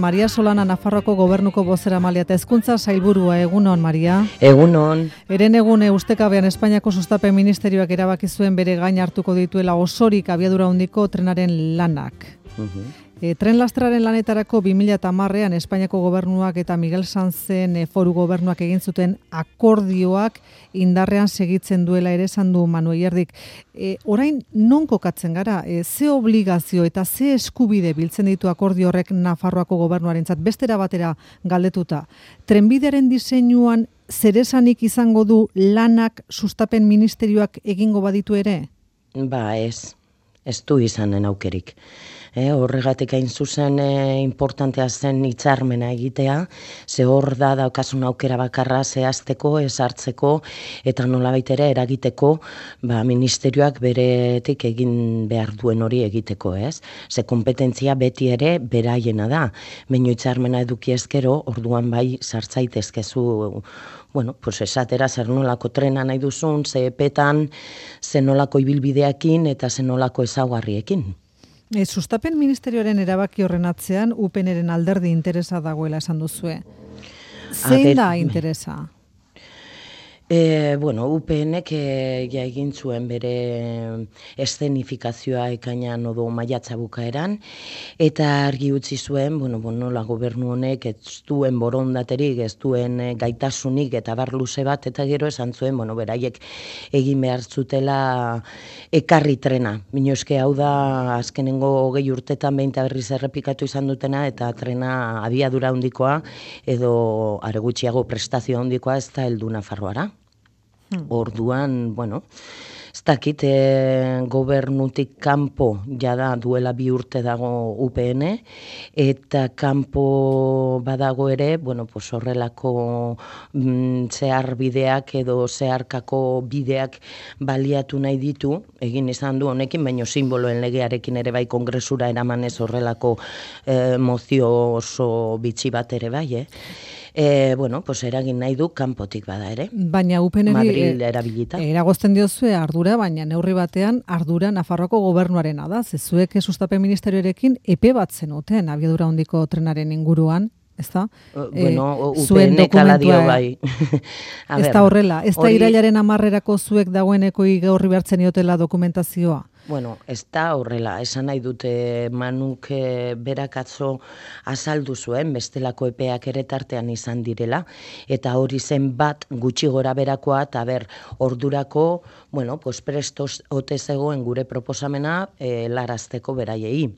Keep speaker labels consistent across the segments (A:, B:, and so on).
A: Maria Solana, Nafarroako gobernuko bozeramailea eta hezkuntza sailburua. Egunon, Maria.
B: Egunon.
A: Herenegune ustekabean Espainiako Sustapen Ministerioak erabaki zuen bere gain hartuko dituela osorik abiadura handiko trenaren lanak. Tren lastraren lanetarako 2010ean Espainiako gobernuak eta Miguel Sanzen foru gobernuak egin zuten akordioak indarrean segitzen duela ere esan du Manu Ierdik. Orain non kokatzen gara? Ze obligazio eta ze eskubide biltzen ditu akordio horrek Nafarroako gobernuarentzat bestera batera galdetuta? Trenbidearen diseinuan zeresanik izango du lanak Sustapen Ministerioak egingo baditu ere?
B: Ba, ez du izanen aukerik. Horregatik hain zuzen importantea zen hitzarmena egitea, ze hor da daukasun aukera bakarra zehazteko, ezartzeko eta nolabait ere eragiteko ministerioak beretik egin behar duen hori egiteko, ez? Ze kompetentzia beti ere beraiena da. Baina hitzarmena eduki ezkero, orduan bai sartzaitezkezu esatera zer nolako trena nahi duzun, ze epetan, ze nolako ibilbideekin eta ze nolako ezaugarriekin.
A: Sustapen Ministerioaren erabaki horren atzean UPNren alderdi interesa dagoela esan duzue. Zein da interesa?
B: UPNek egin zuen bere eszenifikazioa ekainan odo maiatza bukaeran, eta argi utzi zuen, nola gobernu honek ez duen borondaterik, ez duen gaitasunik eta bar luze bat, eta gero esan zuen, beraiek egin behar zutela ekarri trena. Eske hau da azkenengo 20 urtetan behin eta berriz errepikatu izan dutena, eta trena abiadura handikoa edo are gutxiago prestazio handikoa ez da heldu Nafarroara. Orduan, ez dakit gobernutik kanpo jada duela 2 urte dago UPN, eta kanpo badago ere, horrelako zehar bideak edo zeharkako bideak baliatu nahi ditu, egin izan du honekin, baina simboloen legearekin ere bai kongresura eramanez horrelako mozio oso bitxi bat ere bai, eragin nahi du kanpotik bada ere.
A: Baina UPNri
B: Madril erabilita.
A: Eragozten diozue ardura, baina neurri batean ardura Nafarroako gobernuarena da. Zezuek Sustapen Ministerioarekin epe bat zenuten abiadura handiko trenaren inguruan, ezta?
B: UPNek ala dio bai.
A: Ez da horrela, ez da irailaren 10erako zuek dagoeneko igorri behartzen diotela dokumentazioa?
B: Ez da horrela, esan nahi dute Manuk berak atzo azaldu zuen, bestelako epeak ere tartean izan direla, eta hori zen bat gutxi gora berakoa, eta ordurako, presto ote zegoen gure proposamena larazteko beraiei.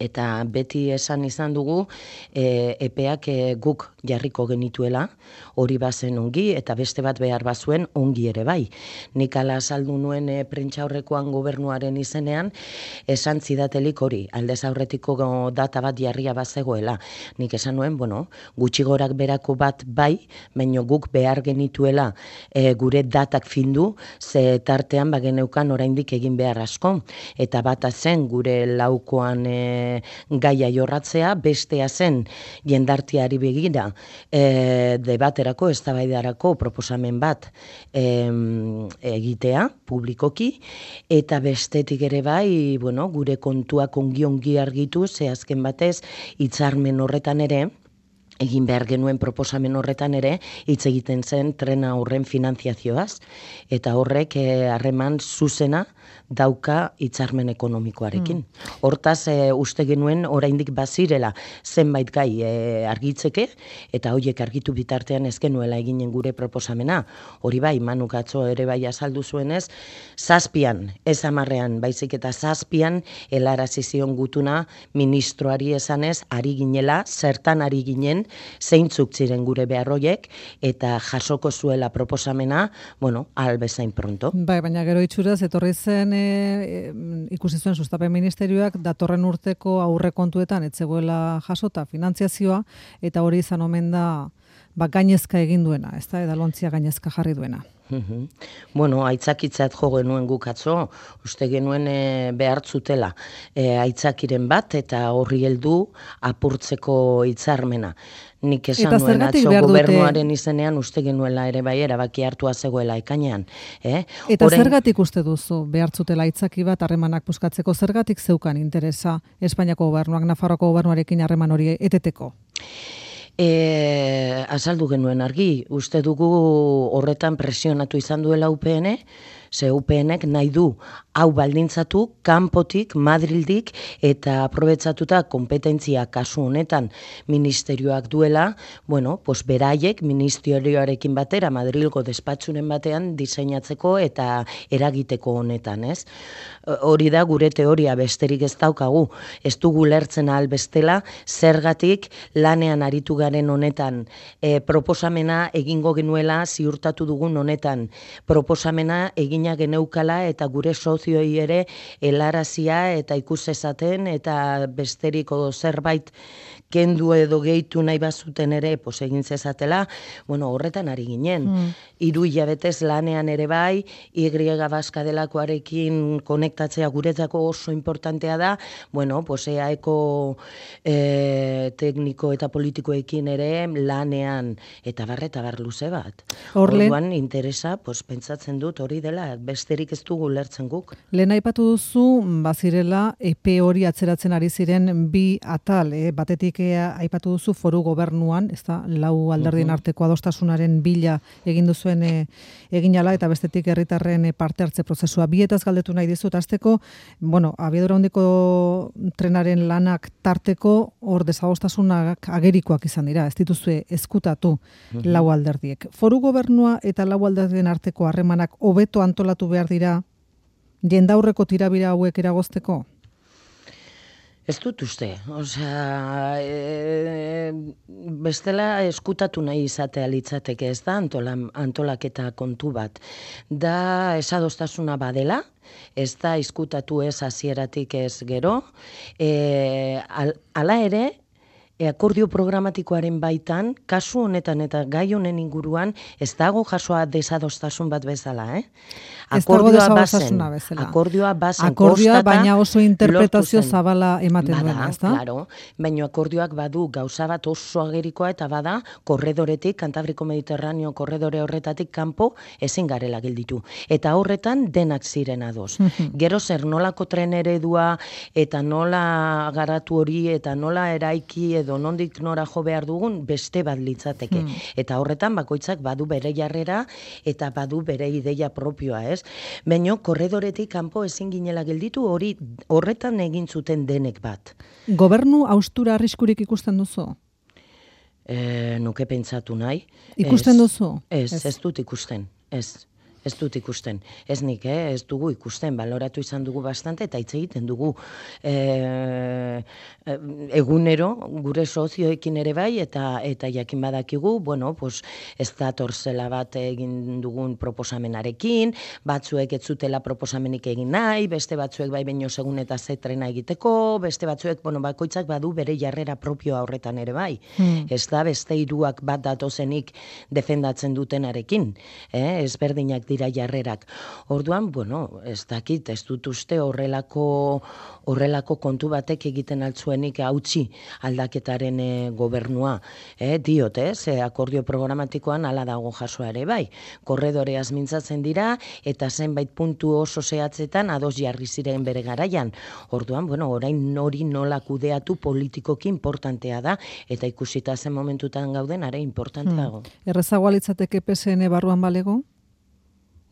B: Eta beti esan izan dugu epeak guk jarriko genituela, hori bazen ongi, eta beste bat behar bazuen ongi ere bai. Nik ala azaldu nuen prentsaurrekoan gobernuaren izenean, esan zidatelik hori, aldez aurretiko data bat jarria bazegoela. Nik esan nuen, gutxi gorak berako bat bai, baina guk behar genituela gure datak findu, ze tartean bageneukan oraindik egin behar asko. Eta bata zen gure laukoan gaia jorratzea, bestea zen jendarteari begira debaterako, eztabaidarako proposamen bat egitea publikoki, eta bestetik ere bai, gure kontuak ongi argitu, ze azken batez hitzarmen horretan ere, egin behar genuen proposamen horretan ere, hitz egiten zen trena horren finantziazioaz, eta horrek harreman zuzena dauka hitzarmen ekonomikoarekin. Hortaz, uste genuen oraindik bazirela zenbait gai argitzeke, eta horiek argitu bitartean ez genuela eginen gure proposamena. Hori bai, Manuk atzo ere bai azaldu zuenez, 7, ez 10ean, baizik eta 7 helarazi zion gutuna ministroari esanez, ari ginela, zertan ari ginen, zeintzuk ziren gure beharroiek, eta jasoko zuela proposamena, albezain pronto.
A: Bai, baina gero itxuraz, etorri zen ikusi zuen Sustapen Ministerioak datorren urteko aurrekontuetan ez zegoela jasota finantziazioa, eta hori izan omen da gainezka egin duena, ezta? Edalontzia gainezka jarri duena.
B: Bueno, aitzakitzat jo genuen guk atzo, uste genuen behartzutela aitzakiren bat eta horri heldu apurtzeko hitzarmena. Nik esan nuen atzo gobernuaren izenean uste genuela ere bai erabaki hartua zegoela ekainean.
A: Eta zergatik uste duzu behartzutela aitzaki bat harremanak puskatzeko, zergatik zeukan interesa Espainiako gobernuak Nafarroako gobernuarekin harreman hori eteteko?
B: Azaldu genuen argi, uste dugu horretan presionatu izan duela UPN, ze UPNek nahi du hau baldintzatu kanpotik, Madrildik eta aprobetxatuta kompetentzia kasu honetan ministerioak duela, pues beraiek ministerioarekin batera Madrilgo despatxuren batean diseinatzeko eta eragiteko honetan, ez? Hori da gure teoria, besterik ez daukagu, ez dugu lertzen ahal bestela, zergatik lanean aritu garen honetan proposamena egingo genuela ziurtatu dugun honetan, proposamena egina geneukala eta gure sozioi ere helarazia eta ikusezaten eta besteriko zerbait kendu edo gehitu nahi bazuten ere egin zezatela, horretan ari ginen. 3 hilabetez lanean ere bai, Y baska delakoarekin konektatzea guretzako oso importantea da, EAEko tekniko eta politikoekin ere lanean eta bar luze bat. Orduan interesa, pentsatzen dut hori dela, besterik ez dugu lertzen guk.
A: Lehen aipatu duzu, bazirela, epe hori atzeratzen ari ziren 2 atal, batetik aipatu duzu foru gobernuan, ez da, 4 alderdien arteko adostasunaren bila egin duzuen eginala, eta bestetik herritarren parte hartze prozesua. Bietaz galdetu nahi dizut, azteko, abiadura handiko trenaren lanak tarteko, hor desadostasunak agerikoak izan dira, ez dituzue ezkutatu 4 alderdiek. Foru gobernua eta 4 alderdien arteko harremanak hobeto antolatu behar dira, jendaurreko tirabira hauek eragozteko?
B: Ez dut uste, bestela eskutatu nahi izatea litzateke, ez da antolaketa kontu bat. Da esadostasuna badela, ez da eskutatu ez hasieratik ez gero, hala ere, akordio programatikoaren baitan, kasu honetan eta gai honen inguruan, ez dago jasoa desadostasun bat bezala, Akordioa bazen
A: akordioa baina oso interpretazio zabala ematen duena, ez da?
B: Claro, baina akordioak badu gauza bat oso agerikoa eta bada korredoretik, Kantabriko Mediterraneo korredore horretatik kanpo ezin garela gelditu. Eta horretan denak ziren ados. Gero zer nolako tren eredua eta nola garatu hori eta nola eraiki edo nondik nora jo behar dugun beste bat litzateke. Eta horretan bakoitzak badu bere jarrera eta badu bere ideia propioa, ez? Baina korredoretik kanpo ezin ginela gelditu horretan egin zuten denek bat.
A: Gobernu haustura arriskurik ikusten duzu?
B: Nuke pentsatu nahi.
A: Ikusten duzu?
B: Ez dut ikusten, Ez dut ikusten. Ez nik, ez dugu ikusten, baloratu izan dugu bastante eta hitz egiten dugu egunero gure sozioekin ere bai eta jakin badakigu, ez dator zela bat egin dugun proposamenarekin, batzuek ez zutela proposamenik egin nahi, beste batzuek bai baino segun eta zetrena egiteko, beste batzuek, bakoitzak badu bere jarrera propioa horretan ere bai. Ez da beste 3 bat datozenik defendatzen dutenarekin, ezberdinak dira jarrerak. Orduan, ez dakit, ez dut uste horrelako kontu batek egiten altzuenik hautsi aldaketaren gobernua. Diot, akordio programatikoan hala dago jasoa ere bai. Korredoreaz mintzatzen dira eta zenbait puntu oso zehatzetan ados jarri ziren bere garaian. Orduan, orain hori nola kudeatu politikoki importantea da eta ikusita zen momentutan gauden are importanteago.
A: Errezagoa litzateke PSN barruan balego?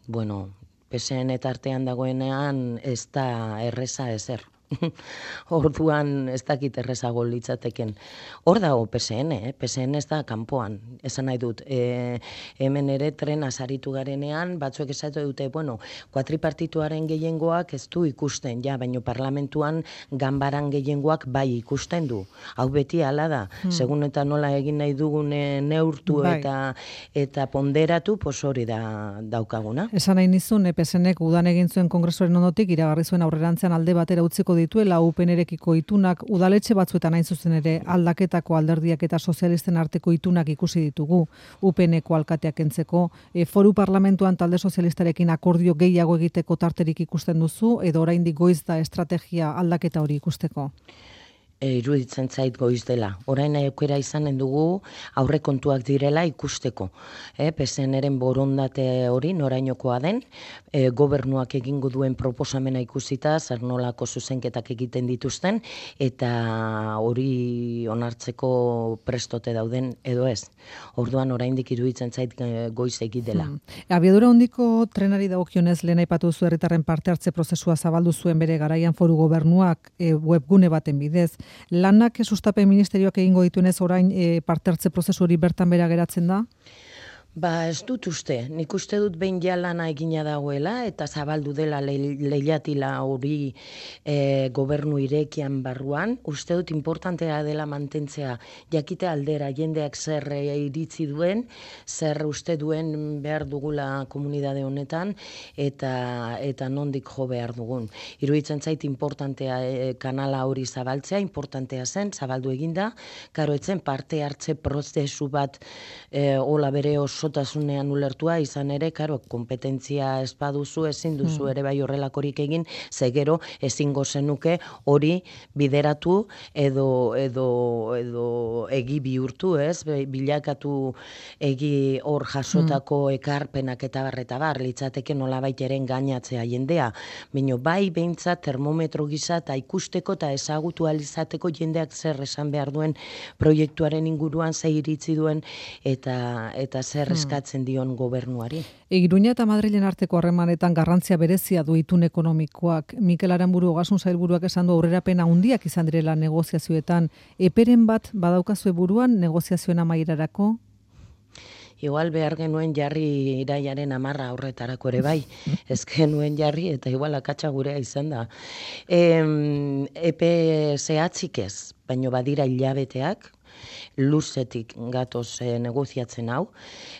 B: PSN tartean dagoenean ez da erreza ezer. Orduan ez dakit errezago litzateken. Hor dago PSN, PSN ez da kanpoan. Esan nahi dut, hemen ere tren azaritu garenean, batzuek esatu dute, kuatripartituaren gehiengoak ez du ikusten, baina parlamentuan ganbaran gehiengoak bai ikusten du. Hau beti hala da, segun eta nola egin nahi dugun neurtu eta ponderatu, hori da daukaguna.
A: Esan nahi nizun, PSNek udan egin zuen kongresuaren ondotik, iragarri zuen aurrerantzean alde batera utziko dituela UPNrekiko itunak, udaletxe batzuetan hain zuzen ere aldaketako alderdiak eta sozialisten arteko itunak ikusi ditugu UPNeko alkateak entzeko. Foru parlamentuan talde sozialistarekin akordio gehiago egiteko tarterik ikusten duzu, edo oraindik goiz da estrategia aldaketa hori ikusteko?
B: Iruditzen zait goiz dela. Orain aukera izanen dugu aurrekontuak direla ikusteko. PSN-eren borondate hori norainokoa den, gobernuak egingo duen proposamena ikusita, zer nolako zuzenketak egiten dituzten, eta hori onartzeko prestote dauden edo ez. Orduan oraindik iruditzen zait goiz egi dela.
A: Abiadura handiko trenari dagokionez lehen aipatu zu herritarren parte hartze prozesua zabaldu zuen bere garaian foru gobernuak webgune baten bidez. Lanak sustapen ministerioak egingo dituenez orain parte hartze prozesu hori bertan bera geratzen da?
B: Ez dut uste. Nik uste dut behin ja lana egina dagoela eta zabaldu dela leihatila hori gobernu irekian barruan. Uste dut importantea dela mantentzea jakite aldera jendeak zer iritzi duen, zer uste duen behar dugula komunidade honetan eta nondik jo behar dugun. Iruditzen zait importantea kanala hori zabaltzea, importantea zen, zabaldu eginda, karo etzen parte hartze prozesu bat hola bere osotasunean ulertua izan ere, karo, kompetentzia ez baduzu, ezin duzu ere bai horrelakorik egin, ze gero ezingo zenuke hori bideratu edo egi bihurtu, ez? Bilakatu egi hor jasotako ekarpenak eta bar, litzateke nolabait eren gainatzea jendea. Baina bai behintzat termometro gisa eta ikusteko eta ezagutu alizateko jendeak zer esan behar duen proiektuaren inguruan, ze iritzi duen eta zer eskatzen dion gobernuari.
A: Iruña eta Madrilen arteko harremanetan garrantzia berezia du itun ekonomikoak. Mikel Aranburu Ogasun Sailburuak esan du aurrerapen handiak izan direla negoziazioetan. Eperen bat badaukazue buruan negoziazioen amaierarako?
B: Igual behar genuen jarri iraiaren 10 aurretarako ere bai. Ez genuen jarri eta igual akatsa gurea izan da. Epe zehatzik ez, baino badira hilabeteak, luzetik gatoz negoziatzen hau.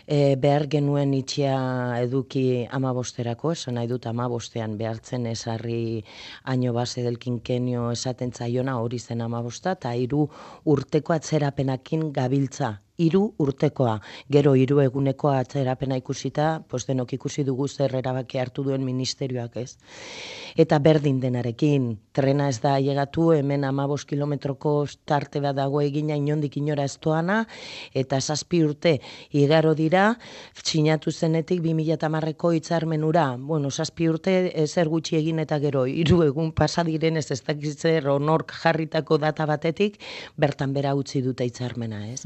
B: Behar genuen itxia eduki 15erako, esan nahi dut 15ean behartzen esarri año base del quinquenio esaten zaiona hori zen 15, eta 3 urteko atzerapenakin gabiltza. 3 urtekoa, gero 3 eguneko atzerapena ikusita, denok ikusi dugu zer erabaki hartu duen ministerioak, ez. Eta berdin denarekin, trena ez da llegatu, hemen 15 kilometroko tarte bat dago egina inondik inora ez doana, eta 7 urte igaro dira, sinatu zenetik 2010ko hitzarmenura. 7 urte ezer gutxi egin eta gero 3 egun pasa direnez ez dakitzer onork jarritako data batetik, bertan bera utzi dute hitzarmena, ez.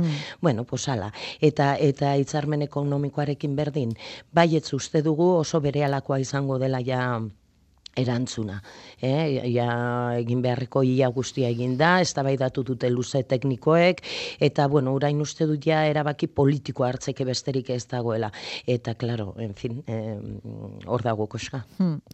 B: Ala. Eta hitzarmen ekonomikoarekin berdin, baietz uste dugu oso berealakoa izango dela ja erantzuna. Egin beharreko ia guztia egin da, eztabaidatu dute luze teknikoek, eta orain uste dut ja erabaki politiko hartzeke besterik ez dagoela. Eta, klaro, en fin, hor dago koska.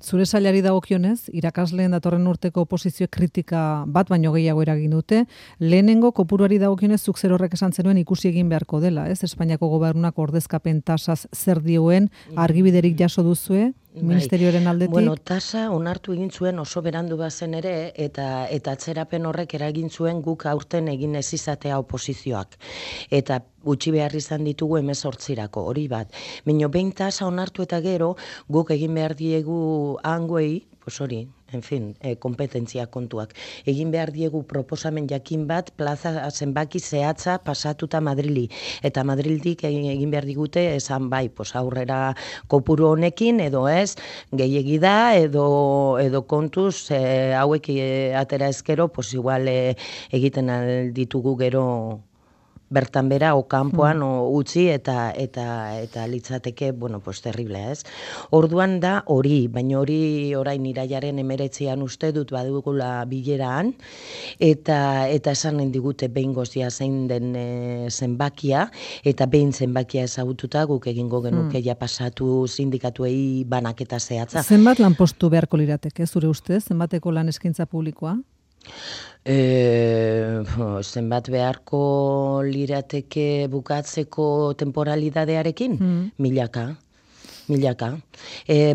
A: Zure sailari dagokionez, irakasleen datorren urteko oposizio kritika bat baino gehiago eragin dute, lehenengo kopuruari dagokionez zuk zer horrek esan zenuen ikusi egin beharko dela, ez? Espainiako gobernuak ordezkapen tasaz zer dioen, argibiderik jaso duzue, ministerioaren aldetik?
B: Tasa onartu egin zuen oso berandu bazen ere, eta atzerapen horrek eragin zuen guk aurten egin ez izatea oposizioak. Eta gutxi behar izan ditugu 18irako, hori bat. Baina behin tasa onartu eta gero, guk egin behar diegu hangoei, hori, en fin, kompetentzia kontuak. Egin behar diegu proposamen jakin bat, plaza zenbaki zehatza pasatuta Madrili. Eta Madrildik egin behar digute, esan bai, aurrera kopuru honekin, edo ez, gehiegi da, edo kontuz, hauek atera ezkero, igual egiten ditugu gero bertan bera, o kanpoan, o utzi, eta litzateke, terrible, ez? Orduan da hori, baina hori orain iraiaren 19an uste dut badugula bileraan, eta esanen digute behin gozia zein den zenbakia, eta behin zenbakia ezagututa guk egingo genuke ja pasatu sindikatuei banaketa zehatza.
A: Zenbat lanpostu beharko lirateke, zure ustez, zenbateko lan eskaintza publikoa?
B: Zenbat beharko lirateke bukatzeko temporalidadearekin? 1000. milaka.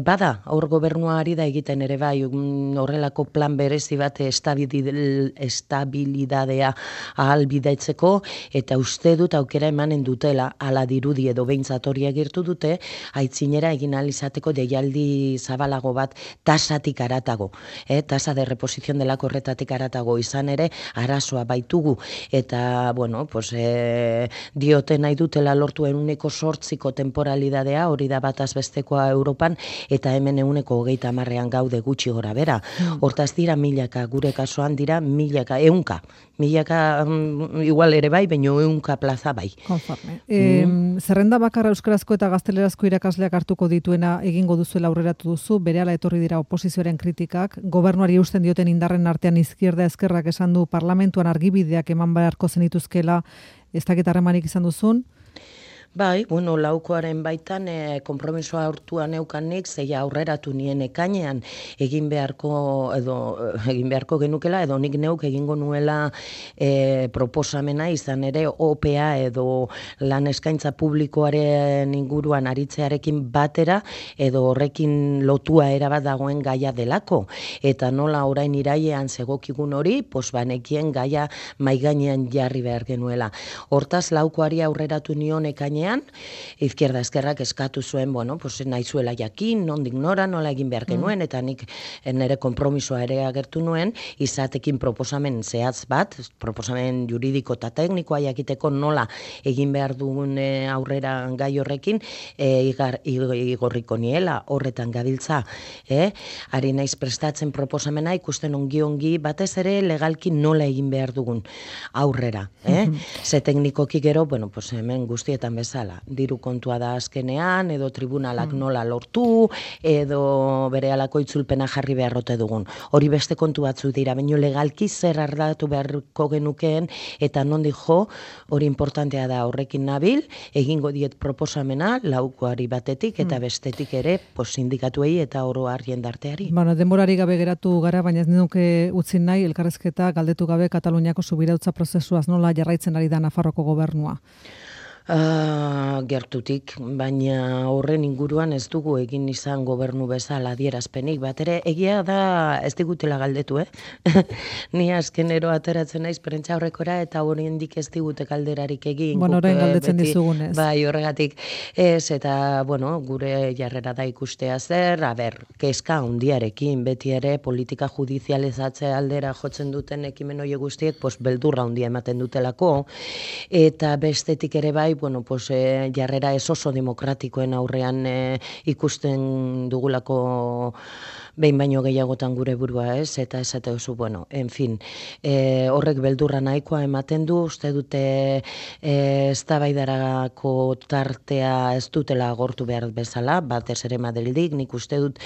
B: Bada, hor gobernuari da egiten ere bai, horrelako plan berezi bat estabilidadea ahalbidetzeko, eta uste dut aukera emanen dutela, ala dirudi edo behintzat hori agirtu dute, aitzinera egin ahal izateko deialdi zabalago bat tasatik aratago. Tasa de reposición delako horretatik aratago izan ere, arazoa baitugu, eta, bueno, pues, diote nahi dutela lortu 108ko temporalidadea, hori da bataz bestekoa Europan, eta hemen 130 gaude gutxi gora bera. Hortaz dira milaka, gure kasuan dira milaka, milaka igual ere bai, baino 100 plaza bai.
A: Konforme. Zerrenda bakarra euskarazko eta gaztelerazko irakasleak hartuko dituena egingo duzuela aurreratu duzu, berehala etorri dira oposizioaren kritikak, gobernuari eusten dioten indarren artean izquierda ezkerrak esan du parlamentuan argibideak eman beharko zenituzkela, ez dakit harremanik izan duzun?
B: Bai, bueno, laukoaren baitan konpromisoa hartua neukanik, zeia aurreratu nien ekainean egin beharko genukela, edo nik neuk egingo nuela proposamena izan ere OPA edo lan eskaintza publikoaren inguruan aritzearekin batera, edo horrekin lotua erabat dagoen gaia delako. Eta nola orain irailean zegokigun hori, banekien gaia maigainean jarri behar genuela. Hortaz, laukoari aurreratu nion ekainean, izquierda ezkerrak eskatu zuen, nahi zuela jakin, nondik nora, nola egin behar genuen, eta nik nire konpromisoa ere agertu nuen, izatekin proposamen zehatz bat, proposamen juridiko eta teknikoa jakiteko nola egin behar dugun aurrera gai horrekin, igorriko niela, horretan gabiltza. Ari naiz prestatzen proposamena, ikusten ongi batez ere legalki nola egin behar dugun aurrera. Ze teknikoki gero, hemen guztietan bezala, diru kontua da azkenean, edo tribunalak nola lortu, edo bere alako itzulpena jarri beharrote dugun. Hori beste kontu batzu dira, baino legalki zer ardatu beharko genukeen, eta nondik jo, hori importantea da horrekin nabil, egingo diet proposamena, laukoari batetik, eta bestetik ere, sindikatuei eta oro har jendarteari.
A: Denborari gabe geratu gara, baina ez nuke utzi nahi, elkarrezketa galdetu gabe Kataluniako subirautza prozesuaz nola jarraitzen ari da Nafarroko gobernua.
B: Gertutik, baina horren inguruan ez dugu egin izan gobernu bezala adierazpenik, bat ere egia da ez digutela galdetu, Ni azkenero ateratzen naiz prentza horrekora eta oraindik ez digute galderarik egin.
A: Orain galdetzen dizugunez.
B: Bai, horregatik ez, eta gure jarrera da ikustea zer, kezka handiarekin, beti ere politika judizializatze aldera jotzen duten ekimen hori guztiek, beldurra handia ematen dutelako, eta bestetik ere bai, jarrera ez oso demokratikoen aurrean ikusten dugulako behin baino gehiagotan gure burua eta esate oso, en fin, horrek beldurra nahikoa ematen du, uste dute eztabaidarako tartea ez dutela agortu behar bezala, batez ere Madrildik, nik uste dut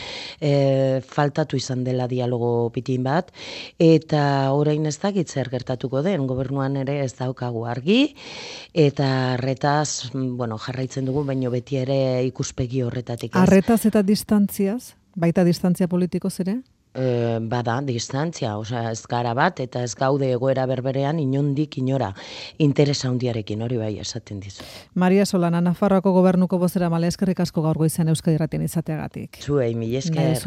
B: faltatu izan dela dialogo pitin bat, eta orain ez dakit zer gertatuko den, gobernuan ere ez daukagu argi, eta arretaz, jarraitzen dugu, baino beti ere ikuspegi horretatik ez.
A: Arretaz eta distantziaz? Baita distantzia politikoz ere?
B: Bada, distantzia, ez gara bat, eta ez gaude egoera berberean inondik inora interesa handiarekin, hori bai esaten dizu.
A: Maria Solana, Nafarroako gobernuko bozera male, eskerrik asko gaur goizean Euskadi Irratian izateagatik.
B: Zuei, mila esker.